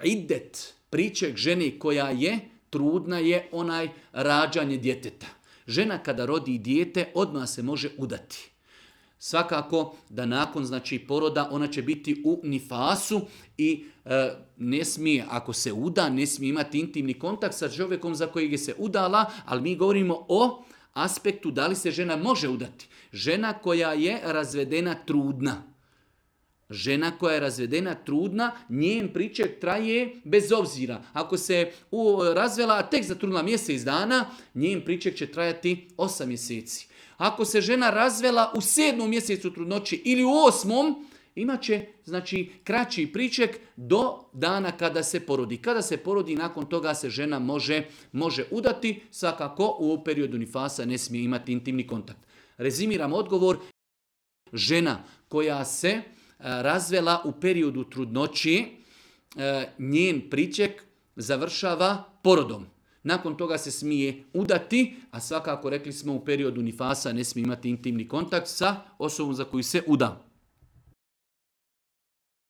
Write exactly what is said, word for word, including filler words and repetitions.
Iddet, priček žene koja je trudna je onaj rađanje djeteta. Žena kada rodi dijete odmah se može udati. Svakako da nakon znači poroda ona će biti u nifasu i e, ne smije, ako se uda, ne smije imati intimni kontakt sa čovjekom za kojeg je se udala, ali mi govorimo o aspektu da li se žena može udati. Žena koja je razvedena trudna. Žena koja je razvedena trudna, njen priček traje bez obzira. Ako se u, razvela, a tek zatrudnila mjesec dana, njen priček će trajati osam mjeseci. Ako se žena razvela u sedmom mjesecu trudnoći ili u osmom, imat će znači, kraći priček do dana kada se porodi. Kada se porodi, nakon toga se žena može, može udati, svakako u periodu nifasa ne smije imati intimni kontakt. Rezimiram odgovor, žena koja se razvela u periodu trudnoći, njen priček završava porodom. Nakon toga se smije udati, a svakako rekli smo u periodu nifasa ne smije imati intimni kontakt sa osobom za koju se uda.